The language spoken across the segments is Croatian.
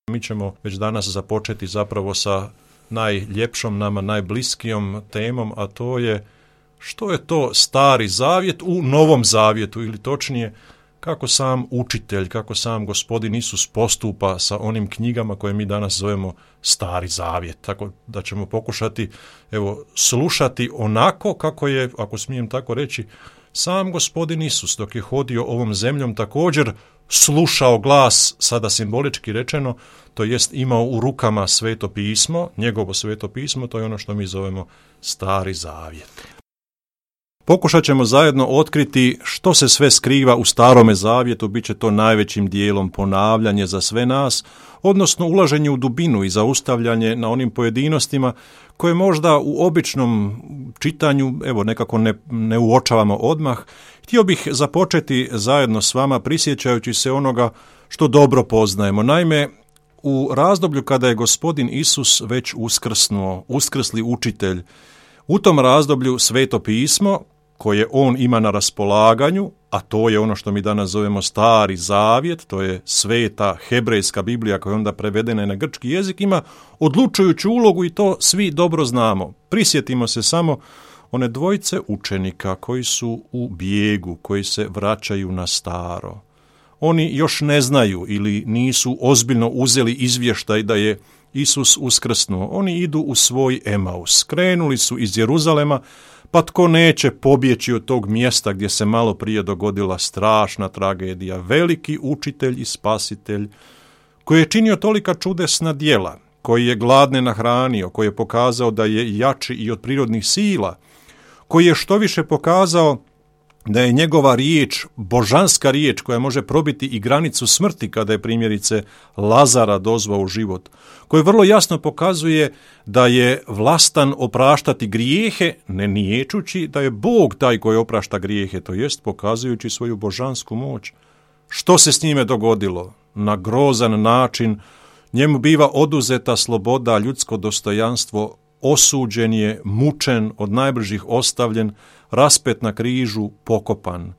Mi ćemo već danas započeti zapravo sa najljepšom nama, najbliskijom temom, a to je što je to Stari Zavjet u Novom Zavjetu, ili točnije kako sam učitelj, kako sam Gospodin Isus postupa sa onim knjigama koje mi danas zovemo Stari Zavjet. Tako da ćemo pokušati slušati onako kako je, ako smijem tako reći, sam Gospodin Isus dok je hodio ovom zemljom također slušao glas, sada simbolički rečeno, to jest imao u rukama Sveto pismo, njegovo Sveto pismo, to je ono što mi zovemo Stari Zavjet. Pokušat ćemo zajedno otkriti što se sve skriva u Starome Zavjetu, bit će to najvećim dijelom ponavljanje za sve nas, odnosno ulaženje u dubinu i zaustavljanje na onim pojedinostima koje možda u običnom čitanju nekako ne uočavamo odmah. Htio bih započeti zajedno s vama prisjećajući se onoga što dobro poznajemo. Naime, u razdoblju kada je Gospodin Isus već uskrsnuo, uskrsli učitelj, u tom razdoblju Sveto pismo koje on ima na raspolaganju, a to je ono što mi danas zovemo Stari Zavjet, to je sveta hebrejska Biblija koja je onda prevedena na grčki jezik, ima odlučujuću ulogu i to svi dobro znamo. Prisjetimo se samo one dvojice učenika koji su u bijegu, koji se vraćaju na staro. Oni još ne znaju ili nisu ozbiljno uzeli izvještaj da je Isus uskrsnuo. Oni idu u svoj Emaus. Krenuli su iz Jeruzalema, pa tko neće pobjeći od tog mjesta gdje se malo prije dogodila strašna tragedija. Veliki učitelj i spasitelj koji je činio tolika čudesna djela, koji je gladne nahranio, koji je pokazao da je jači i od prirodnih sila, koji je štoviše pokazao da je njegova riječ, božanska riječ koja može probiti i granicu smrti kada je primjerice Lazara dozvao u život, koji vrlo jasno pokazuje da je vlastan opraštati grijehe, ne niječući da je Bog taj koji oprašta grijehe, to jest pokazujući svoju božansku moć. Što se s njime dogodilo? Na grozan način njemu biva oduzeta sloboda, ljudsko dostojanstvo, osuđen je, mučen, od najbližih ostavljen, raspet na križu, pokopan.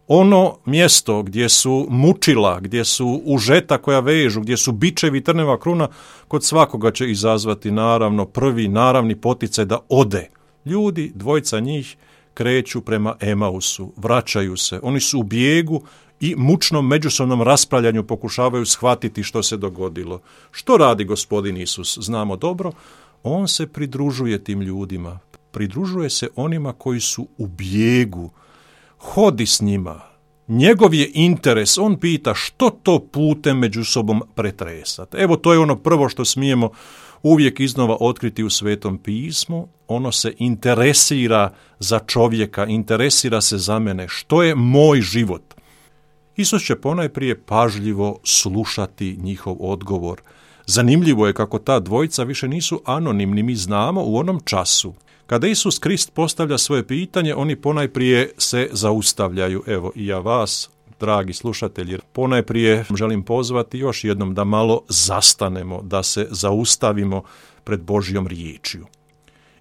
Ono mjesto gdje su mučila, gdje su užeta koja vežu, gdje su bičevi i trneva kruna, kod svakoga će izazvati naravno prvi naravni poticaj da ode. Ljudi, dvojica njih, kreću prema Emausu, vraćaju se. Oni su u bijegu i mučnom međusobnom raspravljanju pokušavaju shvatiti što se dogodilo. Što radi Gospodin Isus? Znamo dobro, on se pridružuje tim ljudima. Pridružuje se onima koji su u bijegu, hodi s njima. Njegov je interes, on pita što to putem među sobom pretresati. Evo, to je ono prvo što smijemo uvijek iznova otkriti u Svetom pismu. Ono se interesira za čovjeka, interesira se za mene. Što je moj život? Isus će ponajprije pažljivo slušati njihov odgovor. Zanimljivo je kako ta dvojica više nisu anonimni, mi znamo u onom času. Kada Isus Krist postavlja svoje pitanje, oni ponajprije se zaustavljaju. Evo i ja vas, dragi slušatelji, ponajprije želim pozvati još jednom da malo zastanemo, da se zaustavimo pred Božjom riječju.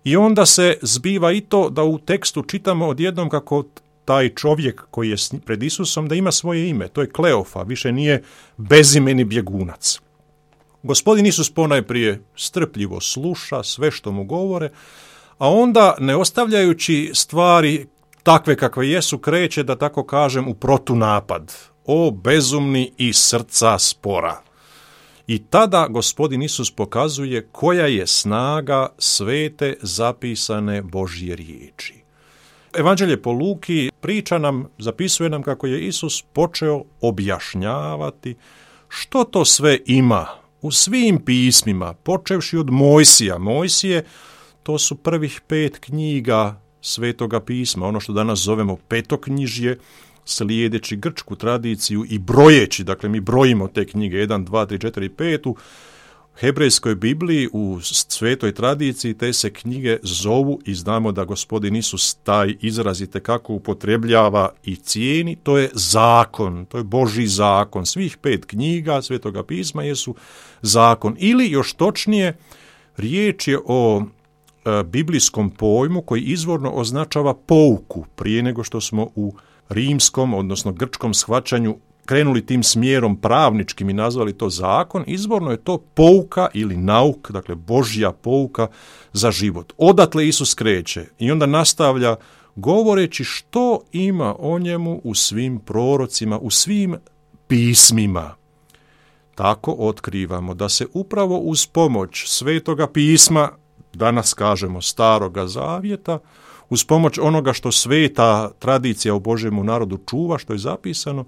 I onda se zbiva i to da u tekstu čitamo odjednom kako taj čovjek koji je pred Isusom da ima svoje ime, to je Kleofa, više nije bezimeni bjegunac. Gospodin Isus ponajprije strpljivo sluša sve što mu govore, a onda, ne ostavljajući stvari takve kakve jesu, kreće, da tako kažem, u protunapad. O bezumni i srca spora. I tada Gospodin Isus pokazuje koja je snaga svete zapisane Božje riječi. Evanđelje po Luki priča nam, zapisuje nam kako je Isus počeo objašnjavati što to sve ima u svim pismima, počevši od Mojsija. Mojsije, to su prvih 5 knjiga Svetoga pisma, ono što danas zovemo petoknjižje, slijedeći grčku tradiciju i brojeći, dakle mi brojimo te knjige 1, 2, 3, 4, 5, u hebrejskoj Bibliji, u svetoj tradiciji te se knjige zovu i znamo da Gospodin Isus taj izraz itekako upotrebljava i cijeni, to je zakon, to je Božji zakon. Svih 5 knjiga Svetoga pisma jesu zakon, ili još točnije, riječ je o biblijskom pojmu koji izvorno označava pouku, prije nego što smo u rimskom, odnosno grčkom shvaćanju krenuli tim smjerom pravničkim i nazvali to zakon, izvorno je to pouka ili nauk, dakle Božja pouka za život. Odatle Isus kreće i onda nastavlja govoreći što ima o njemu u svim prorocima, u svim pismima. Tako otkrivamo da se upravo uz pomoć Svetoga pisma, danas kažemo Staroga zavjeta, uz pomoć onoga što sveta tradicija u Božjemu narodu čuva, što je zapisano,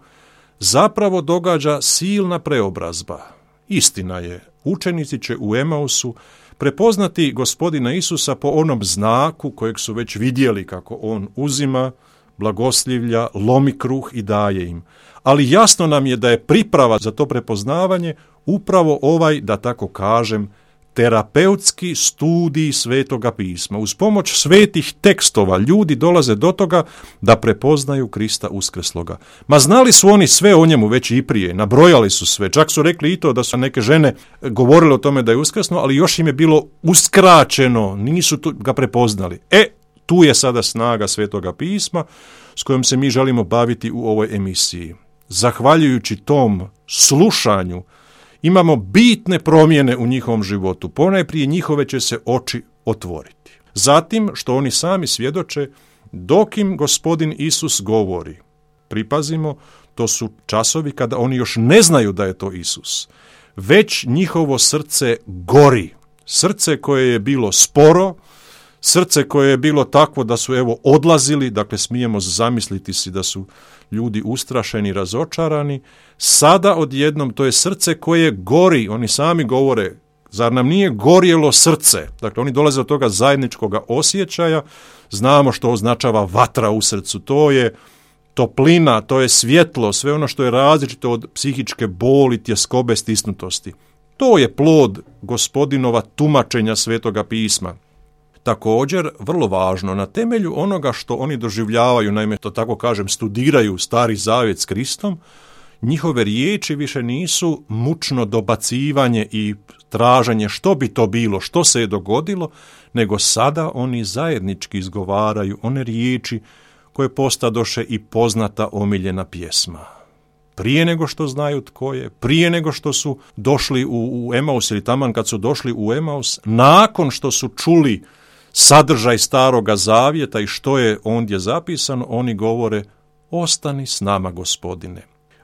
zapravo događa silna preobrazba. Istina je, učenici će u Emausu prepoznati Gospodina Isusa po onom znaku kojeg su već vidjeli kako on uzima, blagoslivlja, lomi kruh i daje im. Ali jasno nam je da je priprava za to prepoznavanje upravo ovaj, da tako kažem, terapeutski studij Svetoga pisma. Uz pomoć svetih tekstova ljudi dolaze do toga da prepoznaju Krista uskrsloga. Ma znali su oni sve o njemu već i prije, nabrojali su sve, čak su rekli i to da su neke žene govorile o tome da je uskrsno, ali još im je bilo uskraćeno, nisu ga prepoznali. Tu je sada snaga Svetoga pisma s kojom se mi želimo baviti u ovoj emisiji. Zahvaljujući tom slušanju imamo bitne promjene u njihovom životu. Ponajprije njihove će se oči otvoriti. Zatim, što oni sami svjedoče, dok im Gospodin Isus govori, pripazimo, to su časovi kada oni još ne znaju da je to Isus. Već njihovo srce gori. Srce koje je bilo sporo, srce koje je bilo takvo da su odlazili, dakle smijemo zamisliti si da su ljudi ustrašeni, razočarani, sada odjednom to je srce koje gori, oni sami govore, zar nam nije gorjelo srce? Dakle, oni dolaze od toga zajedničkog osjećaja, znamo što označava vatra u srcu, to je toplina, to je svjetlo, sve ono što je različito od psihičke boli, tjeskobe, stisnutosti. To je plod Gospodinova tumačenja Svetoga pisma. Također, vrlo važno, na temelju onoga što oni doživljavaju, naime, to tako kažem, studiraju Stari zavjet s Kristom, njihove riječi više nisu mučno dobacivanje i traženje što bi to bilo, što se je dogodilo, nego sada oni zajednički izgovaraju one riječi koje postadoše i poznata omiljena pjesma. Prije nego što znaju tko je, prije nego što su došli u Emaus ili taman kad su došli u Emaus, nakon što su čuli sadržaj Staroga zavjeta i što je ondje zapisano, oni govore: ostani s nama, Gospodine.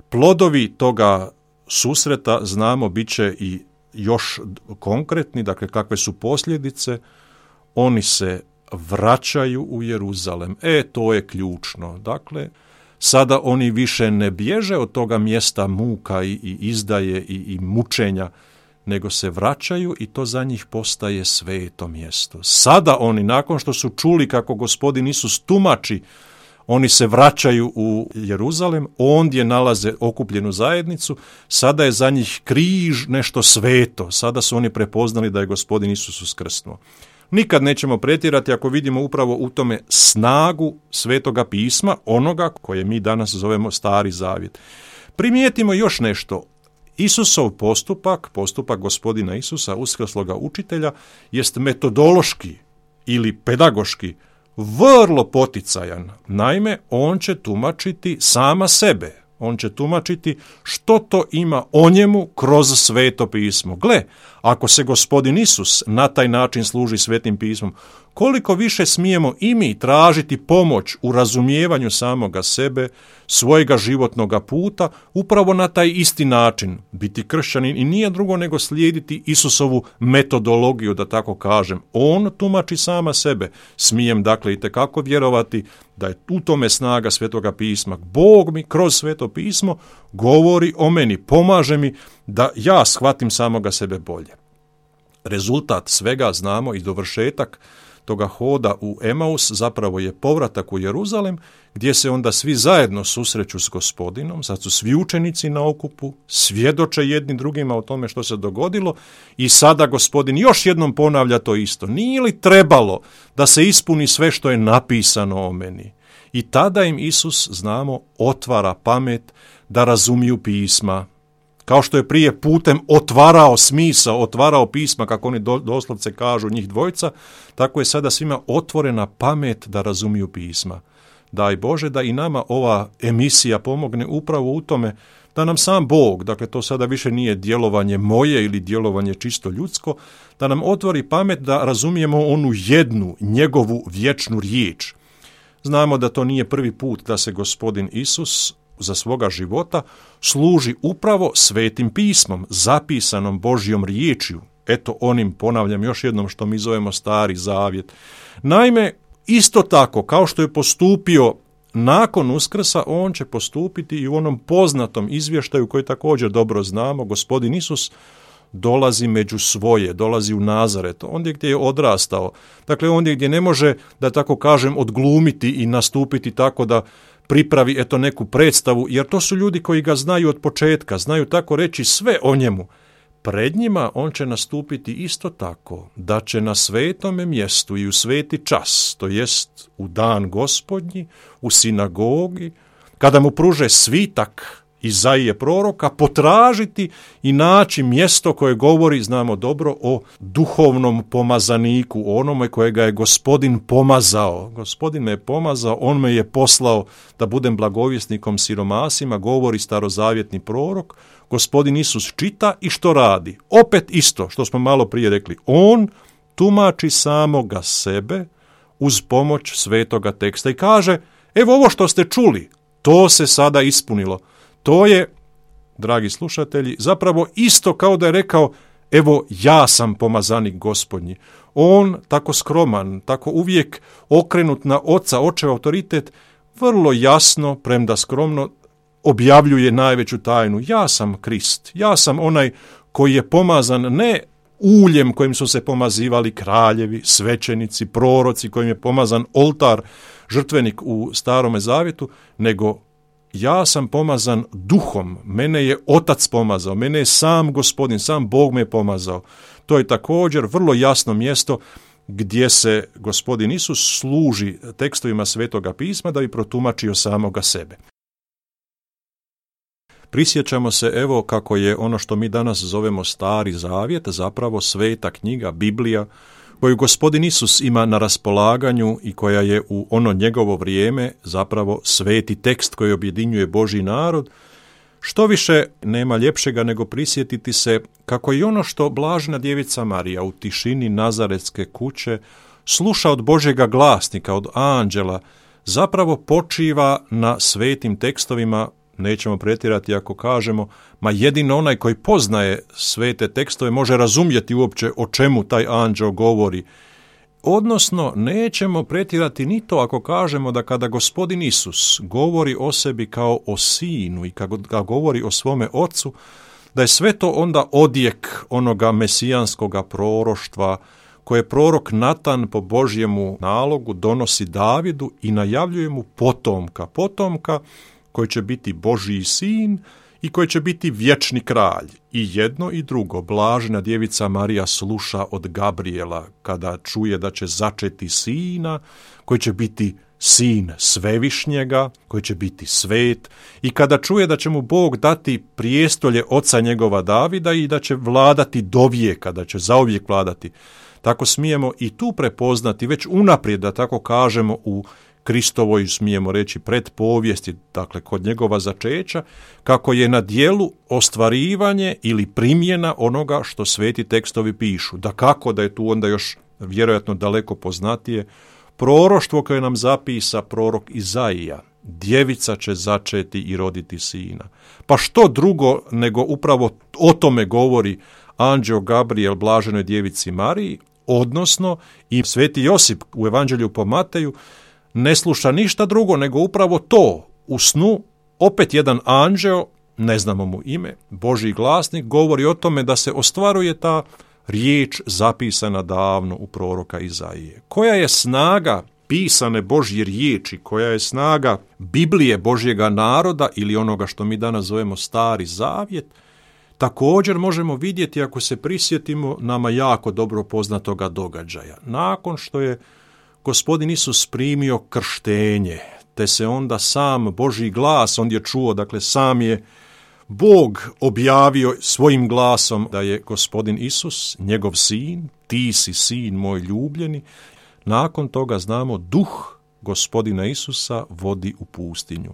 Plodovi toga susreta, znamo, bit će i još konkretni, dakle kakve su posljedice. Oni se vraćaju u Jeruzalem. To je ključno. Dakle, sada oni više ne bježe od toga mjesta muka i izdaje i mučenja, nego se vraćaju i to za njih postaje sveto mjesto. Sada oni, nakon što su čuli kako Gospodin Isus tumači, oni se vraćaju u Jeruzalem, ondje nalaze okupljenu zajednicu, sada je za njih križ nešto sveto, sada su oni prepoznali da je Gospodin Isus uskrsnuo. Nikad nećemo pretjerati ako vidimo upravo u tome snagu Svetoga pisma, onoga koje mi danas zovemo Stari zavjet. Primijetimo još nešto. Isusov postupak Gospodina Isusa, uskrsloga učitelja, jest metodološki ili pedagoški vrlo poticajan. Naime, on će tumačiti sama sebe. On će tumačiti što to ima o njemu kroz Sveto pismo. Gle, ako se Gospodin Isus na taj način služi Svetim pismom, koliko više smijemo i mi tražiti pomoć u razumijevanju samoga sebe, svojega životnoga puta, upravo na taj isti način. Biti kršćanin i nije drugo nego slijediti Isusovu metodologiju, da tako kažem. On tumači sama sebe. Smijem dakle itekako vjerovati da je u tome snaga Svetoga pisma. Bog mi kroz Sveto pismo govori o meni, pomaže mi da ja shvatim samoga sebe bolje. Rezultat svega znamo i dovršetak toga hoda u Emaus zapravo je povratak u Jeruzalem, gdje se onda svi zajedno susreću s Gospodinom, sad su svi učenici na okupu, svjedoče jedni drugima o tome što se dogodilo i sada Gospodin još jednom ponavlja to isto. Nije li trebalo da se ispuni sve što je napisano o meni? I tada im Isus, znamo, otvara pamet da razumiju pisma. Kao što je prije putem otvarao smisao, otvarao pisma, kako oni doslovce kažu njih dvojica, tako je sada svima otvorena pamet da razumiju pisma. Daj Bože da i nama ova emisija pomogne upravo u tome da nam sam Bog, dakle to sada više nije djelovanje moje ili djelovanje čisto ljudsko, da nam otvori pamet da razumijemo onu jednu njegovu vječnu riječ. Znamo da to nije prvi put da se Gospodin Isus za svoga života služi upravo Svetim pismom, zapisanom Božjom riječju. Eto onim, ponavljam još jednom, što mi zovemo Stari zavjet. Naime, isto tako kao što je postupio nakon Uskrsa, on će postupiti i u onom poznatom izvještaju koji također dobro znamo. Gospodin Isus dolazi među svoje, dolazi u Nazaret, ondje gdje je odrastao. Dakle, ondje gdje ne može, da tako kažem, odglumiti i nastupiti tako da pripravi eto neku predstavu, jer to su ljudi koji ga znaju od početka, znaju tako reći sve o njemu. Pred njima on će nastupiti isto tako, da će na svetome mjestu i u sveti čas, to jest u dan Gospodnji, u sinagogi, kada mu pruže svitak Izaije proroka, potražiti i naći mjesto koje govori, znamo dobro, o duhovnom pomazaniku, onome kojega je Gospodin pomazao. Gospodin me je pomazao, on me je poslao da budem blagovjesnikom siromasima, govori starozavjetni prorok. Gospodin Isus čita i što radi? Opet isto što smo malo prije rekli. On tumači samoga sebe uz pomoć svetoga teksta i kaže, evo ovo što ste čuli, to se sada ispunilo. To je, dragi slušatelji, zapravo isto kao da je rekao, evo ja sam pomazanik Gospodnji. On, tako skroman, tako uvijek okrenut na oca, očev autoritet, vrlo jasno, premda skromno, objavljuje najveću tajnu. Ja sam Krist, ja sam onaj koji je pomazan ne uljem kojim su se pomazivali kraljevi, svećenici, proroci, kojim je pomazan oltar, žrtvenik u Starome zavjetu, nego ja sam pomazan duhom, mene je Otac pomazao, mene je sam Gospodin, sam Bog me je pomazao. To je također vrlo jasno mjesto gdje se Gospodin Isus služi tekstovima Svetoga pisma da bi protumačio samoga sebe. Prisjećamo se evo kako je ono što mi danas zovemo Stari zavjet, zapravo sveta knjiga, Biblija, koju Gospodin Isus ima na raspolaganju i koja je u ono njegovo vrijeme zapravo sveti tekst koji objedinjuje Božji narod. Što više nema ljepšega nego prisjetiti se kako i ono što blažena djevica Marija u tišini Nazaretske kuće sluša od Božjega glasnika, od anđela, zapravo počiva na svetim tekstovima. Nećemo pretjerati ako kažemo, ma jedino onaj koji poznaje svete tekstove može razumjeti uopće o čemu taj anđeo govori. Odnosno, nećemo pretjerati ni to ako kažemo da kada Gospodin Isus govori o sebi kao o sinu i kada govori o svome ocu, da je sve to onda odjek onoga mesijanskoga proroštva koje prorok Natan po Božjemu nalogu donosi Davidu i najavljuje mu potomka koji će biti Božji sin i koji će biti vječni kralj. I jedno i drugo, blažena djevica Marija sluša od Gabriela kada čuje da će začeti sina, koji će biti sin Svevišnjega, koji će biti svet, i kada čuje da će mu Bog dati prijestolje oca njegova Davida i da će vladati do vijeka, da će zauvijek vladati. Tako smijemo i tu prepoznati već unaprijed, da tako kažemo, u Kristovoj, smijemo reći, predpovijesti, dakle kod njegova začeća, kako je na djelu ostvarivanje ili primjena onoga što sveti tekstovi pišu. Dakako da je tu onda još vjerojatno daleko poznatije proroštvo koje nam zapisa prorok Izaija. Djevica će začeti i roditi sina. Pa što drugo nego upravo o tome govori anđeo Gabriel blaženoj djevici Mariji, odnosno i sveti Josip u Evanđelju po Mateju ne sluša ništa drugo nego upravo to. U snu opet jedan anđeo, ne znamo mu ime, Božji glasnik, govori o tome da se ostvaruje ta riječ zapisana davno u proroka Izaije. Koja je snaga pisane Božje riječi, koja je snaga Biblije Božjega naroda ili onoga što mi danas zovemo Stari zavjet, također možemo vidjeti ako se prisjetimo nama jako dobro poznatoga događaja. Nakon što je Gospodin Isus primio krštenje, te se onda sam Božji glas ondje čuo, dakle sam je Bog objavio svojim glasom da je Gospodin Isus, njegov sin, ti si sin moj ljubljeni. Nakon toga znamo duh Gospodina Isusa vodi u pustinju.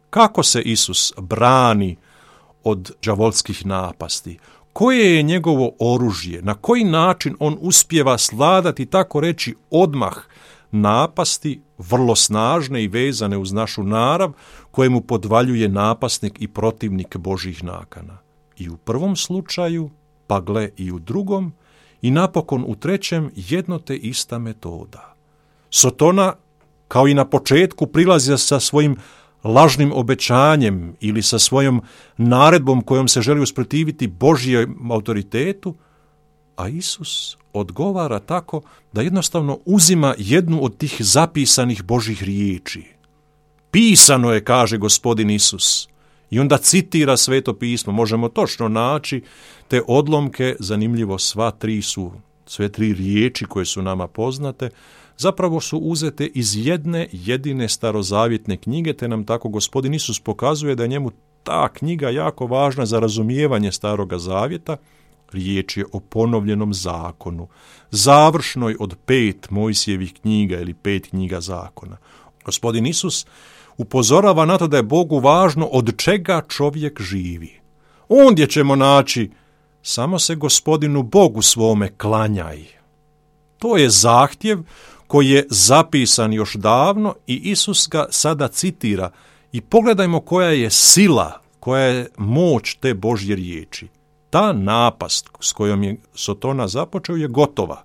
Kako se Isus brani od đavolskih napasti. Koje je njegovo oružje? Na koji način on uspijeva svladati, tako reći, odmah napasti, vrlo snažne i vezane uz našu narav, koje mu podvaljuje napasnik i protivnik Božjih nakana. I u prvom slučaju, pa gle i u drugom, i napokon u trećem jedno te ista metoda. Sotona, kao i na početku, prilazi sa svojim lažnim obećanjem ili sa svojom naredbom kojom se želi usprotiviti Božjem autoritetu, a Isus odgovara tako da jednostavno uzima jednu od tih zapisanih Božjih riječi. Pisano je, kaže Gospodin Isus, i onda citira Sveto pismo. Možemo točno naći te odlomke, zanimljivo sve tri riječi koje su nama poznate, zapravo su uzete iz jedne jedine starozavjetne knjige, te nam tako Gospodin Isus pokazuje da je njemu ta knjiga jako važna za razumijevanje Staroga zavjeta. Riječ je o ponovljenom zakonu, završnoj od 5 Mojsijevih knjiga ili 5 knjiga zakona. Gospodin Isus upozorava na to da je Bogu važno od čega čovjek živi. Ondje ćemo naći samo se Gospodinu Bogu svome klanjaj. To je zahtjev koji je zapisan još davno i Isus ga sada citira. I pogledajmo koja je sila, koja je moć te Božje riječi. Ta napast s kojom je Sotona započeo je gotova.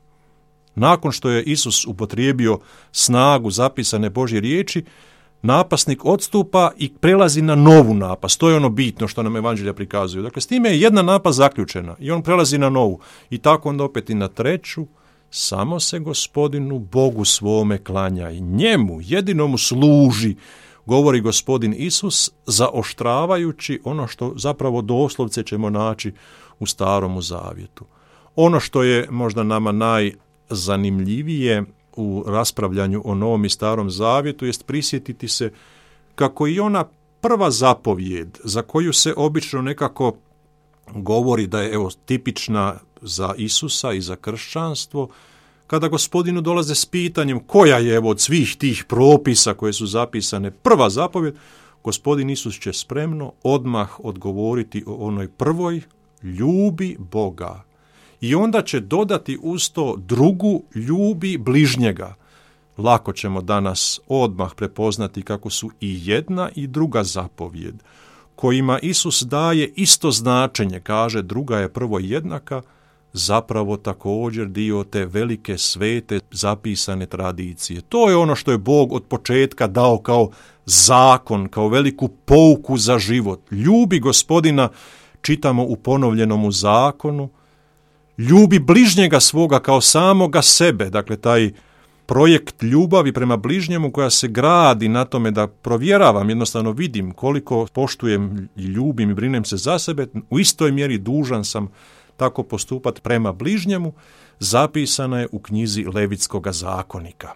Nakon što je Isus upotrijebio snagu zapisane Božje riječi, napasnik odstupa i prelazi na novu napast. To je ono bitno što nam evanđelja prikazuju. Dakle, s time je jedna napast zaključena i on prelazi na novu. I tako onda opet i na treću. Samo se Gospodinu Bogu svome klanjaj. Njemu, jedinomu služi, govori Gospodin Isus, zaoštravajući ono što zapravo doslovce ćemo naći u Staromu zavjetu. Ono što je možda nama najzanimljivije u raspravljanju o Novom i Starom zavjetu jest prisjetiti se kako i ona prva zapovjed za koju se obično nekako govori da je tipična za Isusa i za kršćanstvo, kada Gospodinu dolaze s pitanjem koja je od svih tih propisa koje su zapisane prva zapovjed, Gospodin Isus će spremno odmah odgovoriti o onoj prvoj, ljubi Boga. I onda će dodati uz to drugu, ljubi bližnjega. Lako ćemo danas odmah prepoznati kako su i jedna i druga zapovjed, kojima Isus daje isto značenje, kaže druga je prvo jednaka, zapravo također dio te velike svete zapisane tradicije. To je ono što je Bog od početka dao kao zakon, kao veliku pouku za život. Ljubi Gospodina, čitamo u ponovljenom zakonu, ljubi bližnjega svoga kao samoga sebe, dakle taj projekt ljubavi prema bližnjemu koja se gradi na tome da provjeravam, jednostavno vidim koliko poštujem i ljubim i brinem se za sebe, u istoj mjeri dužan sam tako postupati prema bližnjemu, zapisana je u knjizi Levitskoga zakonika.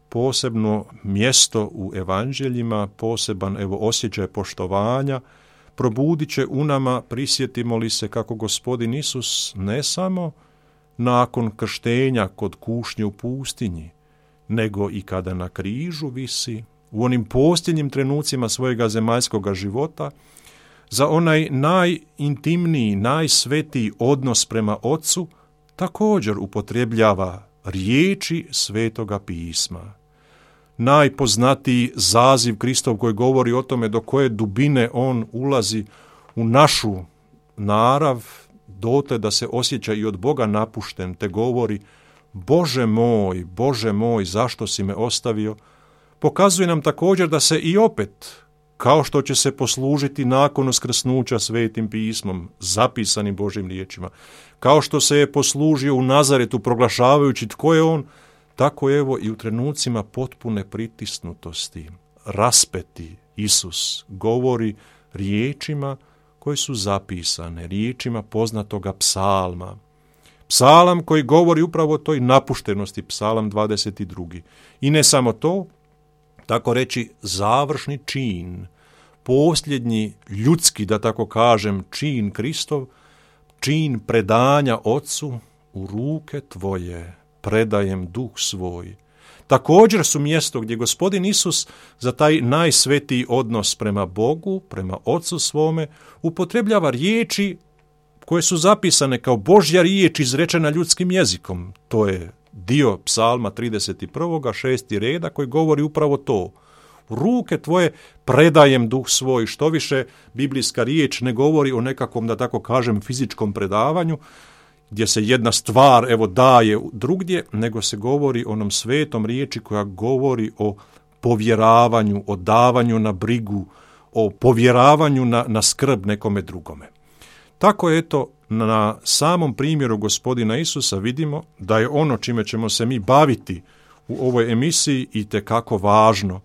Posebno mjesto u evanđeljima, poseban osjećaj poštovanja, probudit će u nama, prisjetimo li se kako Gospodin Isus ne samo nakon krštenja kod kušnje u pustinji, nego i kada na križu visi, u onim posljednjim trenucima svojega zemaljskoga života, za onaj najintimniji, najsvetiji odnos prema Otcu, također upotrebljava riječi Svetoga pisma. Najpoznatiji zaziv Kristov koji govori o tome do koje dubine on ulazi u našu narav, dotle da se osjeća i od Boga napušten, te govori Bože moj, zašto si me ostavio, pokazuje nam također da se i opet, kao što će se poslužiti nakon uskrsnuća Svetim pismom, zapisanim Božjim riječima, kao što se je poslužio u Nazaretu proglašavajući tko je on, tako evo i u trenucima potpune pritisnutosti, raspeti, Isus govori riječima koje su zapisane, riječima poznatoga psalma. Psalam koji govori upravo o toj napuštenosti, psalam 22. I ne samo to, tako reći završni čin, posljednji ljudski, da tako kažem, čin Kristov, čin predanja Otcu, u ruke tvoje predajem duh svoj. također su mjesto gdje Gospodin Isus za taj najsvetiji odnos prema Bogu, prema Ocu svome, upotrebljava riječi koje su zapisane kao Božja riječ izrečena ljudskim jezikom. To je dio Psalma 31. 6. reda koji govori upravo to. U ruke tvoje predajem duh svoj. Što više, biblijska riječ ne govori o nekakvom, da tako kažem, fizičkom predavanju, gdje se jedna stvar daje drugdje, nego se govori o onom svetom riječi koja govori o povjeravanju, o davanju na brigu, o povjeravanju na skrb nekome drugome. Tako eto, na samom primjeru Gospodina Isusa vidimo da je ono čime ćemo se mi baviti u ovoj emisiji itekako važno.